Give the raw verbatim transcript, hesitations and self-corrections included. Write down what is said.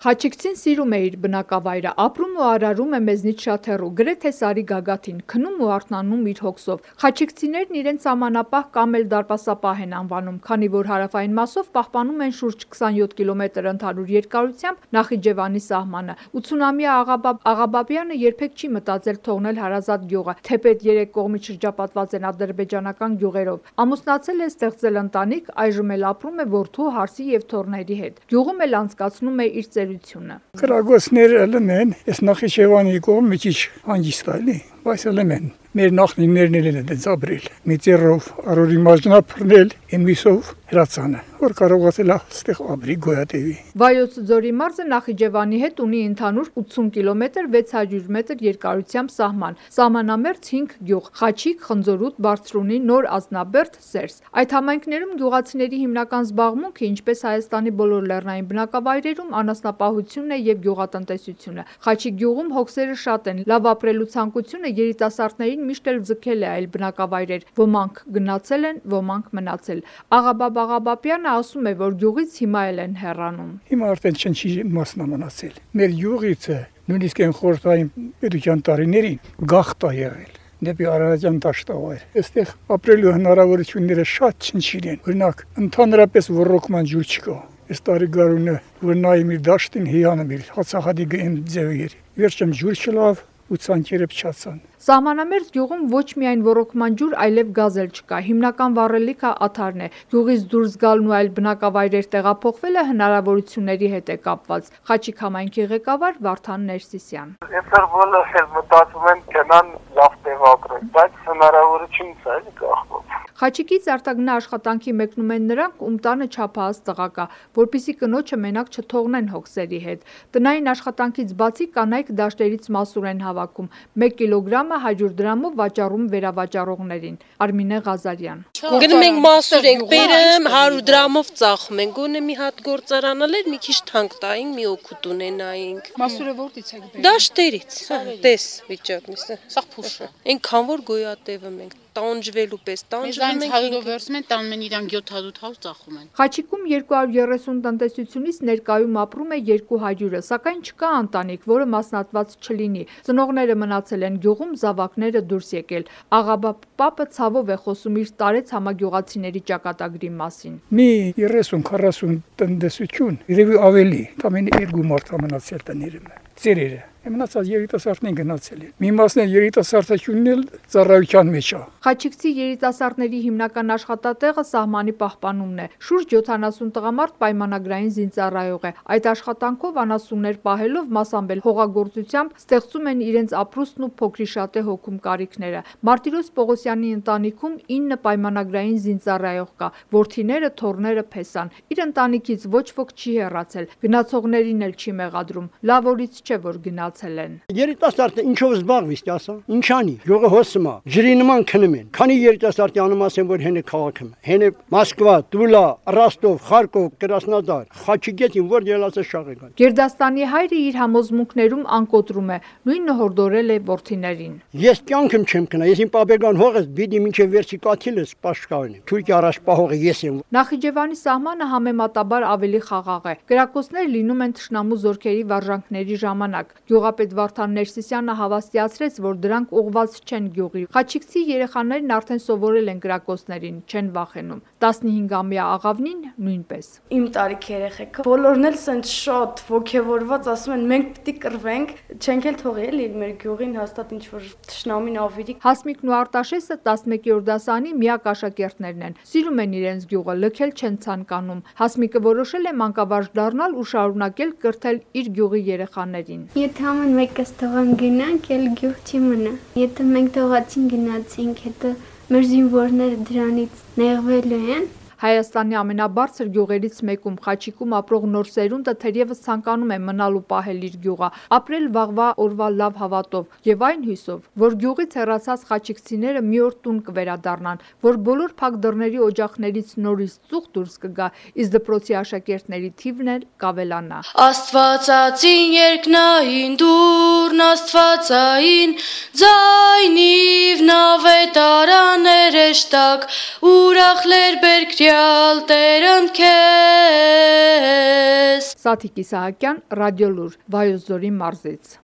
Խաչիկցին սիրում է իր բնակավայրը, ապրում ու արարում է մեզնից շատ հեռու, գրեթե Սարի գագաթին, քնում ու արթնանում իր հոգսով։ Խաչիկցիներն իրենց սահմանապահ կամ էլ դարպասապահ են անվանում, քանի որ հարավային մասով պահպանում են շուրջ քսանյոթ կիլոմետր ընդհանուր երկարությամբ Նախիջևանի սահմանը։ ութսունամյա Աղաբաբյանը երբեք չի մտածել թողնել հարազատ գյուղը, թեպետ երեք կողմից շրջապատված են ադրբեջանական գյուղերով։ Ամուսնացել է, ստեղծել ընտանիք, այժմ էլ ապրում է որդու, հարսի եւ թոռների հետ։ Գյուղում էլ անցկացնում է իր ծերությունը։ Կրագոցները ելում են, ես Նախիջևանի կողմ մի քիչ հանգիստ էլի, բայց ելում են։ Մեր նախնիներն էլ են դից ապրել։ Մի ծերով արորի մաժնափռնել, եմիսով հրացանը, որ կարողացել է ստեղ ապրի գոյատևի։ Վայոց ձորի մարզը Նախիջևանի հետ ունի ընդհանուր ութսուն կիլոմետր վեց հարյուր մետր երկարությամբ սահման։ Սահմանամերձ հինգ գյուղ՝ Խաչիկ, Խնձորուտ, Բարձրունի, Նոր Ազնաբերդ, Սերս։ Այդ համայնքներում գյուղացիների հիմնական զբաղմունքը, ինչպես Հայաստանի բոլոր լեռնային բնակավայրերում, անասնապահությունն է եւ գյուղատնտեսությունը։ Խաչիկ գյուղում հոգսերը շատ են, լավ ապրելու ցանկությունը երիտասարդներին միշտ էլ ձգել է այլ բնակավայրեր, ոմանք գնացել են, ոմանք մնացել։ Աղաբաբ Աղաբաբյանը ասում է, որ գյուղից հիմա էլ են հեռանում։ Հիմա արդեն չնչի մասն մնացել։ Մեր գյուղից նույնիսկ այն խորհրդային պետության տարիներին գաղթ է եղել դեպի Արարատյան դաշտավայր։ Այստեղ ապրելու հնարավորությունները շատ չնչին են։ Օրինակ, ընդհանրապես ոռոգման ջուր չկա։ Այս տարի գարունը որ նայում իր դաշտին հիանում իր հացահատի գեմ ձևեր։ Վերջում ջուր չլավ ու ցանկերը փչացան։ Սահմանամերձ գյուղում ոչ միայն ոռոգման ջուր, այլև գազ էլ չկա։ Հիմնական վառելիքը աթարն է։ Գյուղից դուրս գալն ու այլ բնակավայրեր տեղափոխվելը հնարավորությունների հետ է կապված։ Խաչիկ համայնքի ղեկավար Վարդան Ներսիսյան։ Այսօր բոլորը մտածում են գնան լավ տեղ ապրեն, բայց հնարավորություն չկա, էլի կախված։ Խաչիկից արտագնա աշխատանքի մեկնում են նրանք, ում տանը չափահաս տղա կա, որպեսզի կնոջը մենակ չթողնեն հոգսերի հետ։ Տնային աշխատանքից բացի կանայք դաշտերից մասուր են հավաքում։ մեկ կիլոգրամը հարյուր դրամով վաճառում վերավաճառողներին։ Արմինե Ղազարյան։ Գնում ենք մասուր ենք բերում, հարյուր դրամով ծախում ենք։ Գոնե մի հատ գործարանալ էր, մի քիչ թանկ տային, մի օգուտ ունենայինք։ Մասուրը որտից եք բերում։ Դաշտերից, տես վիճակն է, սա փուշը։ Այնքան որ գոյատևում ենք, տանջվելու պես, տանջվում ենք։ հարյուրով վերցում են, տանում են իրանք յոթ հարյուր ծախում են։ Խաչիկում երկու հարյուր երեսուն տնտեսությունից ներկայում ապրում է երկու հարյուրը, սակայն չկա ընտանիք, որը մասնատված չլինի։ Ծնողները մնացել են գյուղում, զավակները դուրս եկել։ Աղաբաբ պապը ցավով է խոսում իր տարեց համագյուղացիների ճակատագրի մասին։ Մի երեսուն քառասուն տնտեսություն, երևի ավելի, ամեն երկու մարդ մնացել տներում է։ Ծերերը Մնացած երիտասարդներին գնացել են։ Մի մասն էլ երիտասարդությունն էլ ծառայության մեջ է։ Խաչիկցի երիտասարդների հիմնական աշխատատեղը սահմանի պահպանումն է։ Շուրջ յոթանասուն տղամարդ պայմանագրային զինծառայող է։ Այդ աշխատանքով անասուններ պահելով, մասամբ էլ հողագործությամբ ստեղծում են իրենց ապրուստն ու փոքրիշատե հոգում կարիքները։ Մարտիրոս Պողոսյանի ընտանիքում ինը պայմանագրային զինծառայող կա, որդիները, թոռները փեսան։ Իր ընտանիքից ոչ ոք չի հեռացել, գնացողներին էլ չի մեղադրում։ Լավ օրից չէ, որ գնաց Երիտասարդը ինչով զբաղվի, ասա, ինչանի, յուղը հոսում է, ջրի նման քնում են։ Քանի երիտասարդի անում ասեն, որ հենը քաղաքում, հենը Մոսկվա, Տուլա, Ռոստով, Խարկով, Կրասնոդար, Խաչիկետին, որ ելացը շաղ եկան։ Գերդաստանի հայրը իր համոզմունքներում անկոտրում է, նույնը հորդորել է որդիներին։ Ես կյանքում չեմ կնա, ես իմ պապեգան հողս բիդի մինչև վերջի կաթիլս պաշտպանեմ։ Թուրքի առաջ պահողը ես եմ։ Նախիջևանի սահմանը համեմատաբար ավելի խաղաղ է։ Կրակոցներ լինում են թշնամու զորքերի վարժանքների ժամանակ։ Գյուղապետ Վարդան Ներսիսյանը հավաստիացրեց, որ դրանք ուղղված չեն գյուղի։ Խաչիկցի երեխաներն արդեն սովորել են կրակոցներին, չեն վախենում։ տասնհինգամյա աղավնին նույնպես։ Իմ տարիքի երեխեքը բոլորն էլ սենց շատ ոգևորված ասում են մենք պիտի կռվենք, չենք էլ թողի էլի մեր գյուղին հաստատ ինչ որ թշնամին ավիրի։ Հասմիկն ու Արտաշեսը տասնմեկերորդ դասարանի միակ աշակերտներն են։ Սիրում են իրենց գյուղը, լքել չեն ցանկանում։ Հասմիկը որոշել է մանկավարժ դառնալ ու շարունակել կրթել իր գյուղի երեխաներին։ Եթե ամեն մեկս թողան գնանք, էլ գյուղ չի մնա։ Եթե մենք թողացին գնացինք, հետո մեր զինվորները դրանից նեղվելու են։ Հայաստանի ամենաբարձր գյուղերից մեկում Խաչիկում ապրող նոր սերունդը թերևս ցանկանում է մնալ ու պահել իր գյուղը, ապրել վաղվա օրվա լավ հավատով եւ այն հույսով, որ գյուղից հեռացած խաչիկցիները մի օր տուն կվերադառնան, որ բոլոր փակ դռների օջախներից նորից ծուխ դուրս կգա, իսկ դպրոցի աշակերտների թիվն էլ կավելանա։ Աստվածածին երկնային դուրն աստվածային ձայնիվ նավետարաներ էշտակ ուրախ լեր բերքրի տվյալ Տերն քեզ։ Սաթիկ Իսահակյան, Ռադիոլուր, Վայոց ձորի մարզից։